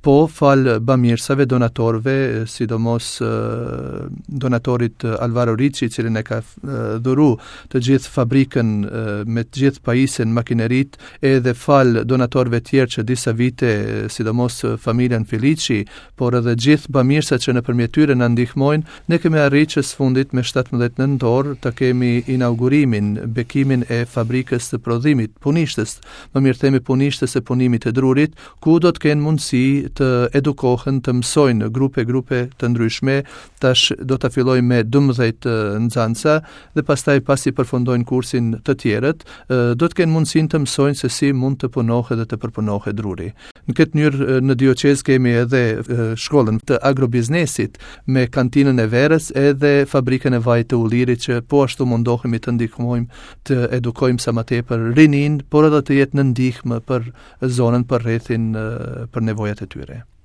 Po, falë bamirësave, donatorëve, sidomos donatorit Alvaro Ricci, i cili na ka dhuru të gjithë fabrikën me të gjithë pajisjen, makineritë, edhe falë donatorëve tjerë që disa vite, sidomos familjen Felici, por edhe gjithë bamirësat që nëpërmjet tyre na ndihmojnë, ne kemi arrit që së fundit me 17 nëntor të kemi inaugurimin, bekimin e fabrikës të prodhimit, punishtes, më mirë themi punishtes së punimit të drurit, ku do të kenë mundësi të edukohen, të mësojnë grupe grupe të ndryshme. Tash do ta fillojmë me 12 nxënësa dhe pastaj pasi përfundojnë kursin të tjerët, do të kenë mundësinë të mësojnë se si mund të punohet dhe të përpunohet druri. Në këtë mënyrë në dioqezë kemi edhe shkollën të agrobiznesit me kantinën e verës edhe fabrikën e vajit të ullirit që po ashtu mundohemi të ndihmojmë të edukojmë sa më tepër rininë, por edhe të jetë në ndihmë për zonën për rrethin për nevojat e tyre.